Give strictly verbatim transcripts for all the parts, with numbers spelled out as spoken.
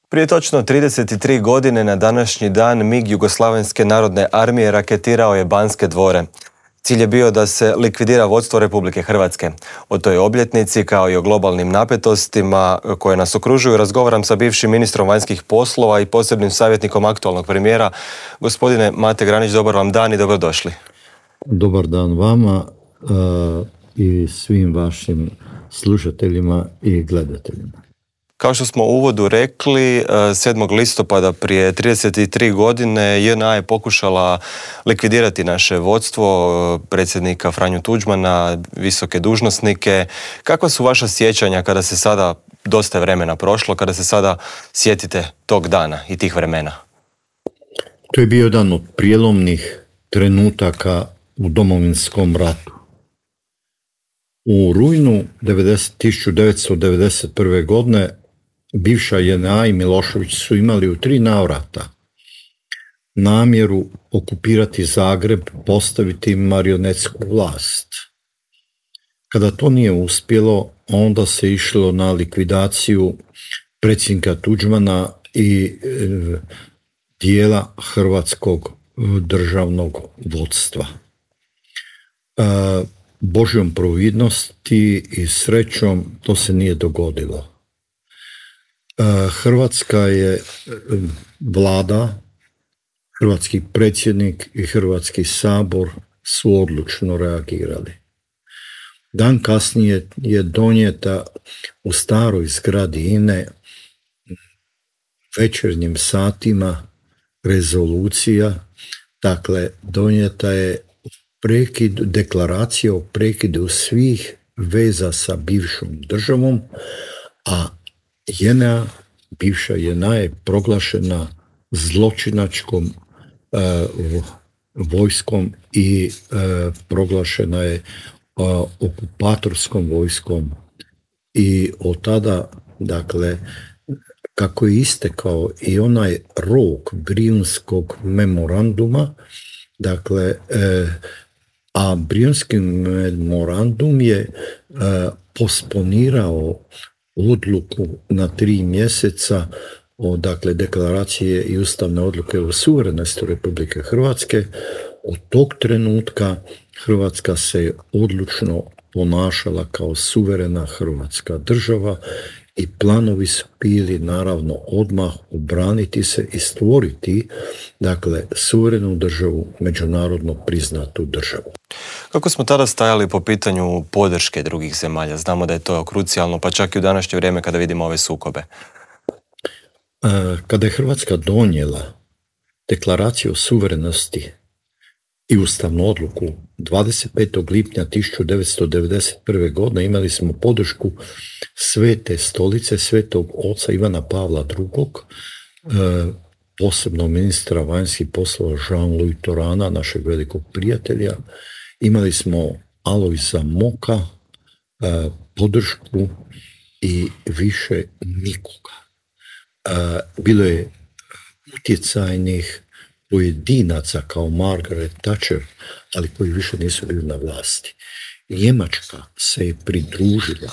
Prije točno trideset tri godine na današnji dan MIG Jugoslavenske narodne armije raketirao je Banske dvore. Cilj je bio da se likvidira vodstvo Republike Hrvatske. O toj obljetnici, kao i o globalnim napetostima koje nas okružuju, razgovaram sa bivšim ministrom vanjskih poslova i posebnim savjetnikom aktualnog premijera. Gospodine Mate Granić, dobar vam dan i dobrodošli. Dobar dan vama uh, i svim vašim slušateljima i gledateljima. Kao što smo u uvodu rekli, sedmog listopada prije trideset tri godine J N A je pokušala likvidirati naše vodstvo, predsjednika Franju Tuđmana, visoke dužnosnike. Kakva su vaša sjećanja kada se sada, dosta je vremena prošlo, kada se sada sjetite tog dana i tih vremena? To je bio jedan od prijelomnih trenutaka u Domovinskom ratu. U rujnu tisuću devetsto devedeset prve. godine bivša J N A i Milošević su imali u tri navrata namjeru okupirati Zagreb, postaviti marionetsku vlast. Kada to nije uspjelo, onda se išlo na likvidaciju predsjednika Tuđmana i e, dijela hrvatskog državnog vodstva. E, Božjom providnosti i srećom to se nije dogodilo. Hrvatska je vlada, hrvatski predsjednik i Hrvatski sabor su odlučno reagirali. Dan kasnije je donijeta u staroj zgradi I N E večernjim satima rezolucija, dakle donijeta je prekid, deklaracija o prekidu svih veza sa bivšom državom, a J N A, bivša J N A je proglašena zločinačkom uh, vojskom i uh, proglašena je uh, okupatorskom vojskom i od tada, dakle, kako je istekao i onaj rok Brijunskog memoranduma, dakle, uh, a Brijunski memorandum je uh, posponirao odluku na tri mjeseca o, dakle, deklaracije i ustavne odluke o suverenosti Republike Hrvatske. Od tog trenutka Hrvatska se odlučno ponašala kao suverena hrvatska država i planovi su bili naravno odmah obraniti se i stvoriti, dakle, suverenu državu, međunarodno priznatu državu. Kako smo tada stajali po pitanju podrške drugih zemalja? Znamo da je to krucijalno, pa čak i u današnje vrijeme kada vidimo ove sukobe. Kada je Hrvatska donijela deklaraciju o suverenosti i ustavnu odluku dvadeset petog lipnja tisuću devetsto devedeset prve. godine, imali smo podršku Svete stolice, Svetog oca Ivana Pavla drugog., posebno ministra vanjskih poslova Jean-Louis Torana, našeg velikog prijatelja. Imali smo Alojza Moka, podršku i više nikoga. Bilo je utjecajnih pojedinaca kao Margaret Thatcher, ali koji više nisu bili na vlasti. Njemačka se je pridružila,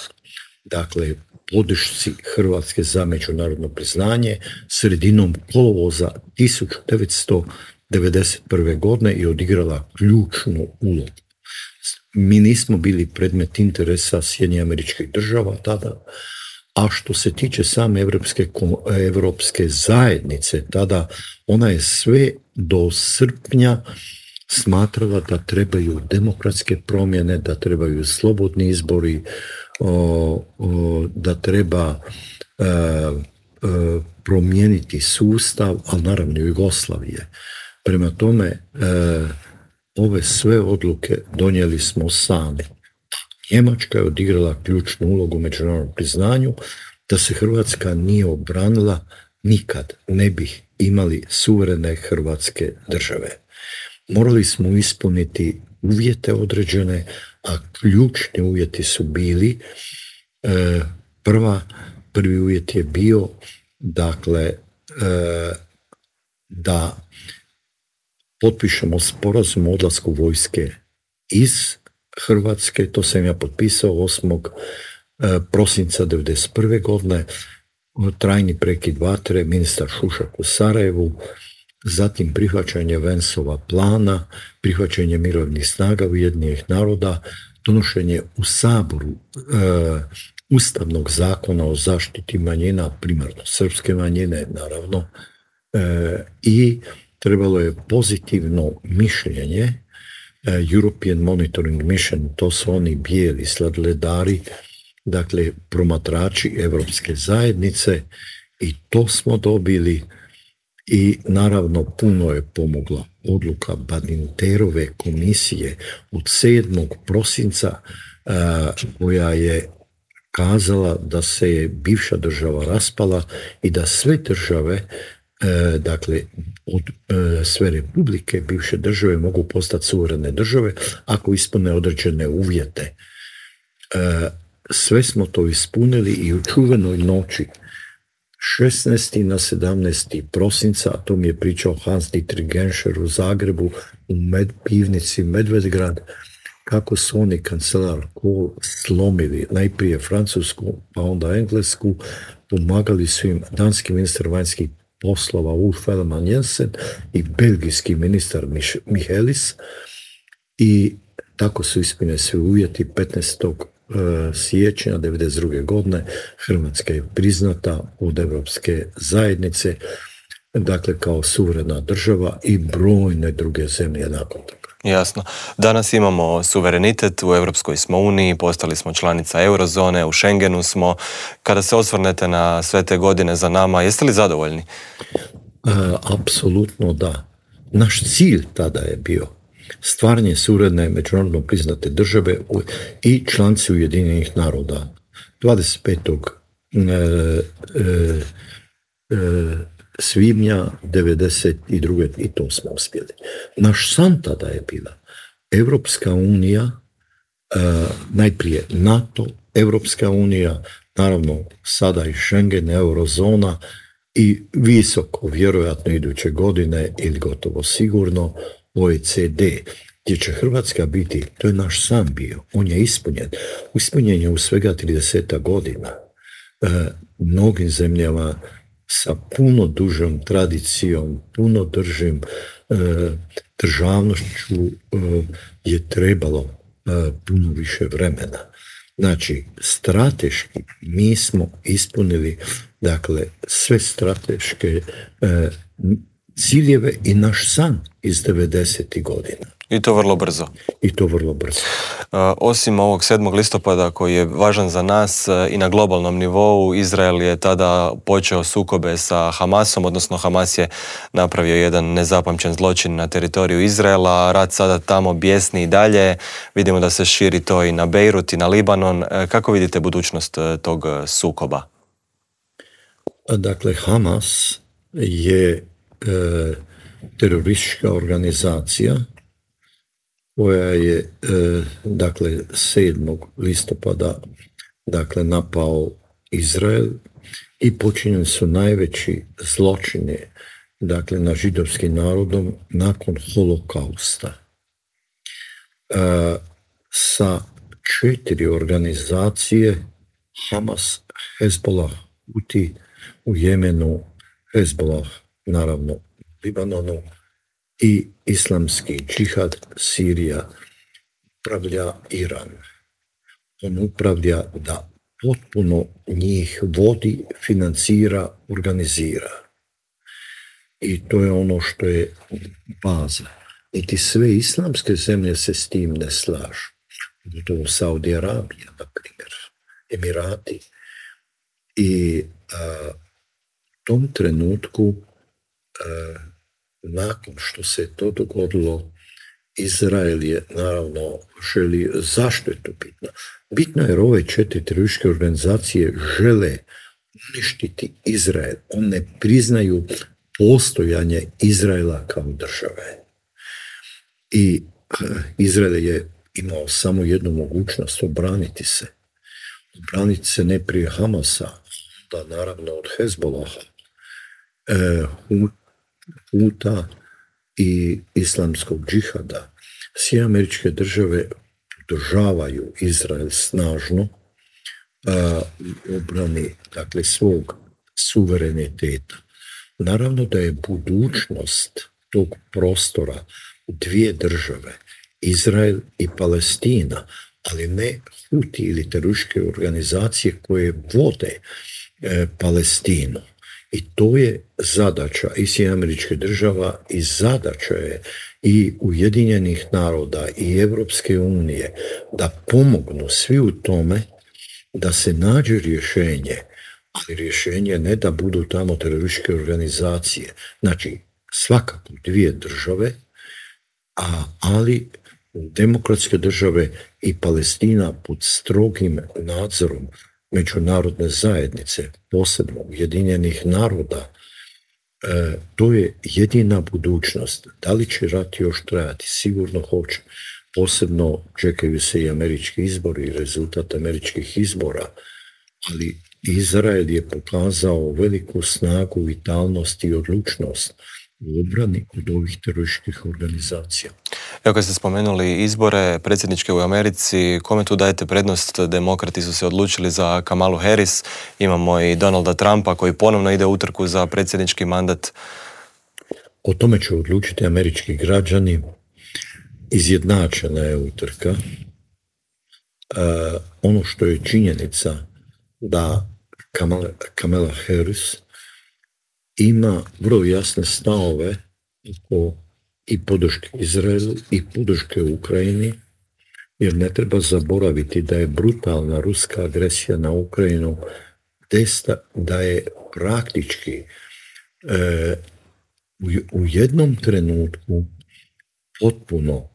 dakle, podršci Hrvatske za međunarodno priznanje sredinom kolovoza tisuću devetsto devedeset prve. godine i odigrala ključnu ulogu. Mi nismo bili predmet interesa Sjedinjenih Američkih Država tada, a što se tiče same Evropske, Evropske zajednice, tada ona je sve do srpnja smatrala da trebaju demokratske promjene, da trebaju slobodni izbori, o, o, da treba e, e, promijeniti sustav, ali naravno Jugoslavije. Prema tome, e, ove sve odluke donijeli smo sami. Njemačka je odigrala ključnu ulogu u međunarodnom priznanju. Da se Hrvatska nije obranila, nikad ne bi imali suverene hrvatske države. Morali smo ispuniti uvjete određene, a ključni uvjeti su bili, e, prva, prvi uvjet je bio, dakle, e, da potpišemo sporazum o odlasku vojske iz Hrvatske. To sam ja potpisao osmog prosinca devedeset prve. godine. trajni prekid vatre, ministar Šušak u Sarajevu, zatim prihvaćanje Vensova plana, prihvaćanje mirovnih snaga Ujedinjenih naroda, donošenje u Saboru e, Ustavnog zakona o zaštiti manjina, primarno srpske manjine, naravno, e, i trebalo je pozitivno mišljenje e, European Monitoring Mission, to su oni bijeli sladledari, dakle promatrači Evropske zajednice, i to smo dobili. I naravno puno je pomogla odluka Badinterove komisije od sedmog prosinca a, koja je kazala da se je bivša država raspala i da sve države, a, dakle od a, sve republike bivše države mogu postati suverene države ako ispune određene uvjete. A, sve smo to ispunili i u čuvenoj noći šesnaestog na sedamnaesti prosinca, a to mi je pričao Hans-Dietrich Genscher u Zagrebu, u med, pivnici Medvedgrad, kako su oni kancelar Kohl slomili najprije Francusku, pa onda Englesku, pomagali su im danski ministar vanjskih poslova Ulf Ellemann Jensen i belgijski ministar Michelis, i tako su ispunjeni svi uvjeti. petnaestog siječnja devedeset druge godine Hrvatska je priznata od Evropske zajednice, dakle kao suverena država, i brojne druge zemlje nakon toga. Jasno. Danas imamo suverenitet, u Europskoj smo uniji, postali smo članica eurozone, u Schengenu smo. Kada se osvrnete na sve te godine za nama, jeste li zadovoljni? A, apsolutno da. Naš cilj tada je bio stvaranje suverene međunarodno priznate države i članci Ujedinjenih naroda. dvadeset petog svibnja devedeset druge i to smo uspjeli. Naš san tada je bila Evropska unija, najprije NATO, Evropska unija, naravno sada i Schengen, eurozona, i visoko, vjerojatno iduće godine ili gotovo sigurno, O E C D, gdje će Hrvatska biti. To je naš san bio, on je ispunjen. Ispunjen je u svega trideset godina. E, mnogim zemljama sa puno dužom tradicijom, puno držim e, državnošću e, je trebalo e, puno više vremena. Znači, strateški mi smo ispunili, dakle, sve strateške e, ciljeve i naš san iz devedesetih godina. I to vrlo brzo. I to vrlo brzo. Osim ovog sedmog listopada koji je važan za nas i na globalnom nivou, Izrael je tada počeo sukobe sa Hamasom, odnosno Hamas je napravio jedan nezapamćen zločin na teritoriju Izraela. Rat sada tamo bijesni i dalje. Vidimo da se širi to i na Beirut i na Libanon. Kako vidite budućnost tog sukoba? Dakle, Hamas je e, teroristička organizacija koja je e, dakle sedmog listopada dakle napao Izrael i počinjeni su najveći zločini dakle na židovskim narodom nakon holokausta. E, sa četiri organizacije Hamas, Hezbollah, Huti u Jemenu, Hezbollah naravno u Libanonu i islamski džihad, Sirija, upravlja Iran. On upravlja da potpuno njih vodi, financira, organizira. I to je ono što je baza. Niti sve islamske zemlje se s tim ne slažu. To Saudi Arabija, na primjer, Emirati. I a, u tom trenutku a, nakon što se to dogodilo, Izrael je naravno želi, zašto je to bitno? Bitno je jer ove četiri terorističke organizacije žele uništiti Izrael. One ne priznaju postojanje Izraela kao države. I Izrael je imao samo jednu mogućnost, obraniti se. Obraniti se ne prije Hamasa, da naravno od Hezbolaha, e, Huta i islamskog džihada. Sjedinjene Američke Države podržavaju Izrael snažno a, u obrani dakle svog suvereniteta. Naravno da je budućnost tog prostora dvije države, Izrael i Palestina, ali ne Huti ili terorističke organizacije koje vode e, Palestinu. I to je zadaća i Sjedinjenih Američkih Država i zadaća je i Ujedinjenih naroda i Evropske unije da pomognu svi u tome da se nađe rješenje, ali rješenje ne da budu tamo terorističke organizacije. Znači, svakako dvije države, a, ali demokratske države i Palestina pod strogim nadzorom međunarodne zajednice, posebno Ujedinjenih naroda, e, to je jedina budućnost. Da li će rat još trajati? Sigurno hoće. Posebno čekaju se i američki izbori i rezultat američkih izbora, ali Izrael je pokazao veliku snagu, vitalnost i odlučnost u obrani od ovih terorističkih organizacija. Evo kad ste spomenuli izbore predsjedničke u Americi, kome tu dajete prednost? Demokrati su se odlučili za Kamalu Harris, imamo i Donalda Trumpa koji ponovno ide u utrku za predsjednički mandat. O tome će odlučiti američki građani. Izjednačena je utrka. E, ono što je činjenica da Kamala, Kamala Harris ima vrlo jasne stavove o i podrške Izraelu i podrške Ukrajini, jer ne treba zaboraviti da je brutalna ruska agresija na Ukrajinu desta, da je praktički e, u, u jednom trenutku potpuno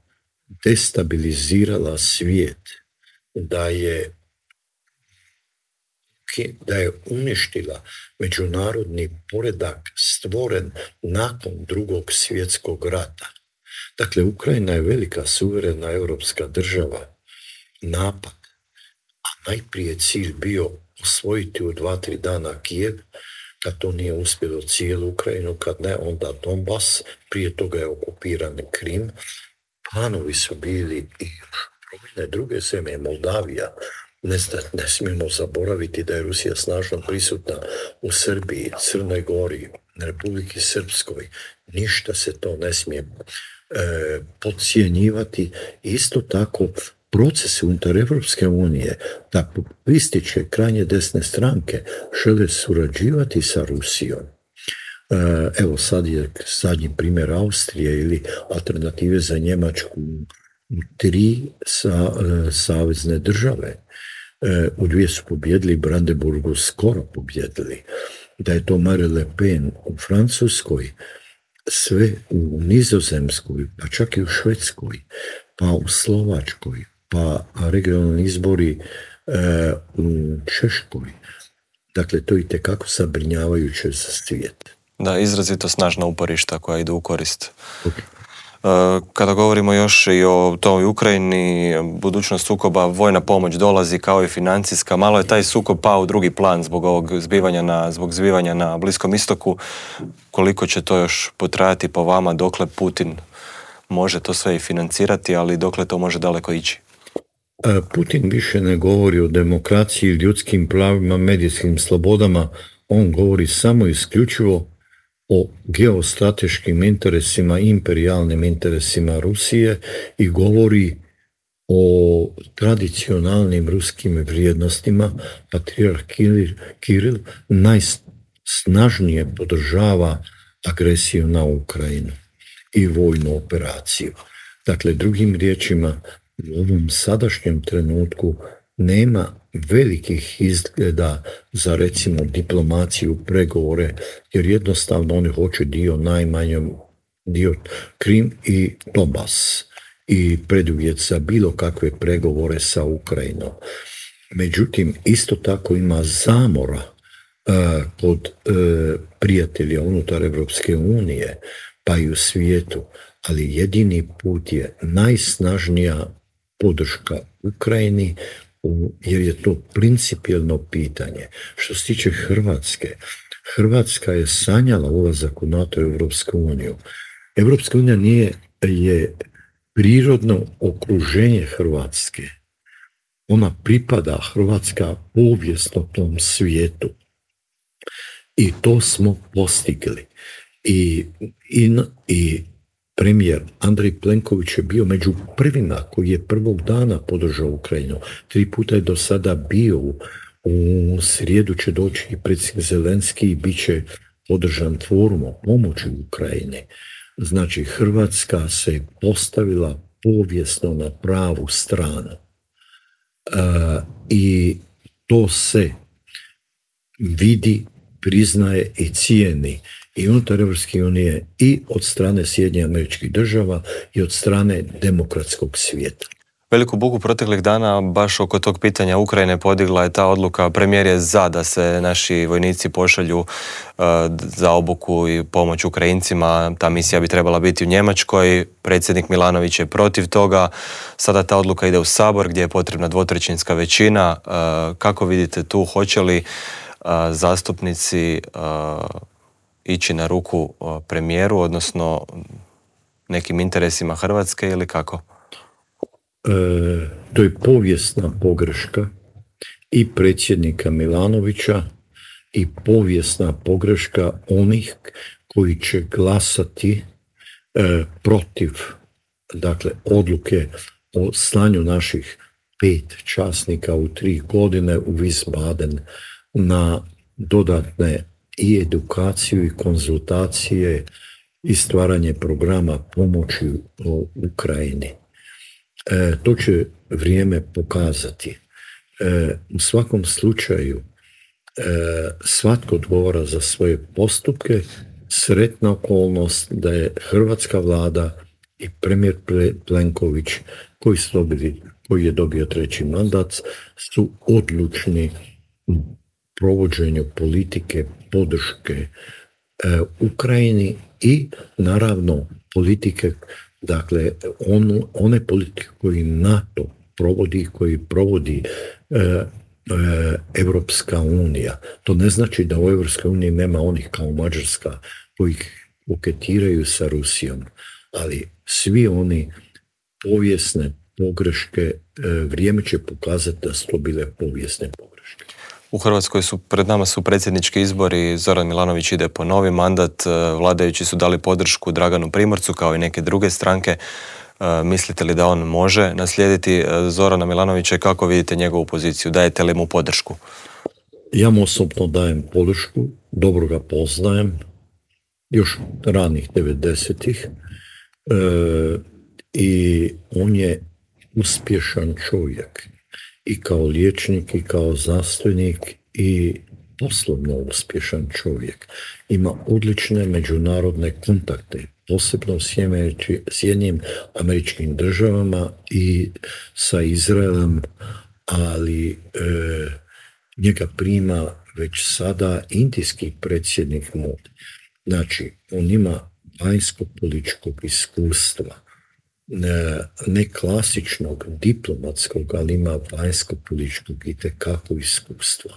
destabilizirala svijet, da je da je uništila međunarodni poredak stvoren nakon drugog svjetskog rata. Dakle, Ukrajina je velika suverena europska država. Napad, a najprije cilj bio osvojiti u dva, tri dana Kijev, kad to nije uspjelo cijelu Ukrajinu, kad ne, onda Donbas, prije toga je okupiran Krim. Planovi su bili i brojne druge zemlje, Moldavija. Ne, ne smijemo zaboraviti da je Rusija snažno prisutna u Srbiji, Crnoj Gori, Republiki Srpskoj. Ništa se to ne smije e, podcjenjivati. Isto tako procesi unutar Evropske unije da populističke krajnje desne stranke žele surađivati sa Rusijom. E, evo sad je zadnji primjer Austrije ili alternative za Njemačku u tri sa, e, savezne države. U dvije su pobjedili, Brandenburgu skoro pobjedili. Da je to Marine Le Pen u Francuskoj, sve u Nizozemskoj, pa čak i u Švedskoj, pa u Slovačkoj, pa regionalni izbori e, u Češkoj. Dakle, to je itekako zabrinjavajuće za svijet. Da, izrazito snažna uporišta koja idu u korist. Okay. Kada govorimo još i o toj Ukrajini, budućnost sukoba, vojna pomoć dolazi kao i financijska. Malo je taj sukob pao u drugi plan zbog ovog zbivanja na, zbog zbivanja na Bliskom istoku. Koliko će to još potrajati po vama, dokle Putin može to sve i financirati, ali dokle to može daleko ići? Putin više ne govori o demokraciji, ljudskim pravima, medijskim slobodama. On govori samo isključivo o geostrateškim interesima, imperijalnim interesima Rusije i govori o tradicionalnim ruskim vrijednostima. Patrijarh Kiril najsnažnije podržava agresiju na Ukrajinu i vojnu operaciju. Dakle, drugim riječima, u ovom sadašnjem trenutku nema velikih izgleda za, recimo, diplomaciju, pregovore, jer jednostavno oni hoće dio najmanjom, dio Krim i Donbas i preduvjet za bilo kakve pregovore sa Ukrajinom. Međutim, isto tako ima zamora uh, kod uh, prijatelja unutar Evropske unije, pa i u svijetu, ali jedini put je najsnažnija podrška Ukrajini, jer je to principijelno pitanje. Što se tiče Hrvatske, Hrvatska je sanjala ulazak u NATO i Evropsku uniju. Evropska unija nije, je prirodno okruženje Hrvatske. Ona pripada, Hrvatska, povijesno tom svijetu. I to smo postigli. I, i, i premijer Andrej Plenković je bio među prvima koji je prvog dana podržao Ukrajinu. Tri puta je do sada bio. U srijedu će doći i predsjednik Zelenski i bit će podržan forum o pomoći Ukrajine. Znači, Hrvatska se postavila povijesno na pravu stranu. E, I to se vidi, priznaje i cijeni i unutar Europske unije i od strane Sjedinjenih Američkih Država i od strane demokratskog svijeta. Veliku buku proteklih dana baš oko tog pitanja Ukrajine podigla je ta odluka. Premijer je za da se naši vojnici pošalju uh, za obuku i pomoć Ukrajincima. Ta misija bi trebala biti u Njemačkoj. Predsjednik Milanović je protiv toga. Sada ta odluka ide u Sabor gdje je potrebna dvotrećinska većina. Uh, kako vidite tu, hoće li uh, zastupnici uh, ići na ruku uh, premijeru, odnosno nekim interesima Hrvatske ili kako? E, to je povijesna pogreška i predsjednika Milanovića i povijesna pogreška onih koji će glasati e, protiv, dakle, odluke o slanju naših pet časnika u tri godine u Wiesbaden na dodatne i edukaciju i konzultacije i stvaranje programa pomoći u Ukrajini. E, to će vrijeme pokazati. E, u svakom slučaju e, svatko odgovara za svoje postupke. Sretna okolnost da je hrvatska vlada i premijer Plenković koji, su dobili, koji je dobio treći mandat su odlučni u provođenju politike podrške e, Ukrajini i naravno politike, dakle, on, one politike koji NATO provodi, koji provodi e, e, Evropska unija. To ne znači da u Evropskoj uniji nema onih kao Mađarska koji koketiraju sa Rusijom, ali svi oni povijesne pogreške, e, vrijeme će pokazati da su to bile povijesne pogreške. U Hrvatskoj su, pred nama su predsjednički izbori, Zoran Milanović ide po novi mandat, vladajući su dali podršku Draganu Primorcu kao i neke druge stranke. Mislite li da on može naslijediti Zorana Milanovića i kako vidite njegovu poziciju? Dajete li mu podršku? Ja mu osobno dajem podršku, dobro ga poznajem, još ranih devedesetih e, i on je uspješan čovjek. I kao liječnik, i kao znanstvenik, i poslovno uspješan čovjek. Ima odlične međunarodne kontakte, posebno s Sjedinjenim Američkim Državama i sa Izraelom, ali e, njega prima već sada indijski predsjednik Modi. Znači, on ima vanjsko-političkog iskustva, ne klasičnog diplomatskog, ali ima vanjsko-političkog itekako iskustva.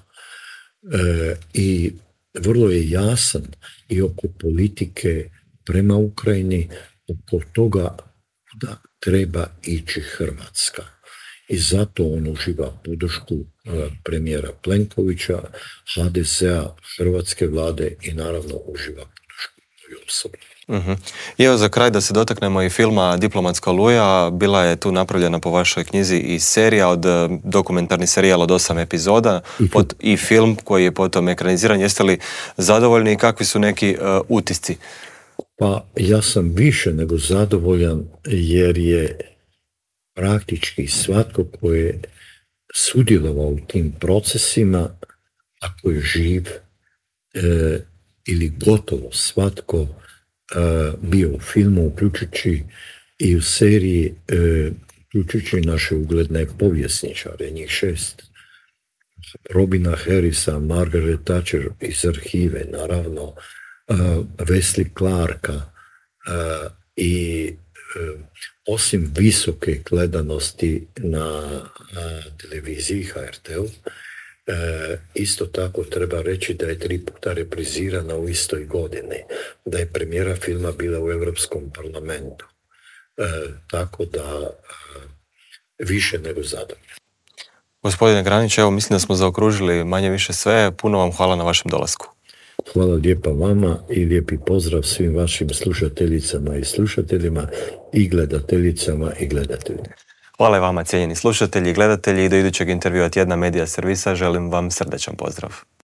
E, I vrlo je jasan i oko politike prema Ukrajini, oko toga da treba ići Hrvatska. I zato on uživa podršku premijera Plenkovića, ha de ze a, hrvatske vlade i naravno uživa podršku moju osobno. Uh-huh. I evo za kraj da se dotaknemo i filma Diplomatska oluja. Bila je tu napravljena po vašoj knjizi i serija, od dokumentarni serijal od osam epizoda i, pot, i film koji je potom ekraniziran. Jeste li zadovoljni i kakvi su neki uh, utisci? Pa ja sam više nego zadovoljan jer je praktički svatko koji je sudjelovao u tim procesima, ako je živ e, ili gotovo svatko e, bio u filmu, uključujući i u seriji, e, uključujući naše ugledne povjesničare, njih šest. Robina Harrisa, Margaret Thatcher iz arhive, naravno, uh, Wesley Clarka uh, i uh, osim visoke gledanosti na uh, televiziji ha er te-u, uh, isto tako treba reći da je tri puta reprizirana u istoj godini, da je premijera filma bila u Europskom parlamentu. Uh, tako da uh, više nego zadovoljno. Gospodine Granić, evo mislim da smo zaokružili manje više sve. Puno vam hvala na vašem dolasku. Hvala lijepa vama i lijepi pozdrav svim vašim slušateljicama i slušateljima i gledateljicama i gledateljima. Hvala i vama, cijenjeni slušatelji i gledatelji, i do idućeg intervjua tjedna Medija servisa želim vam srdačan pozdrav.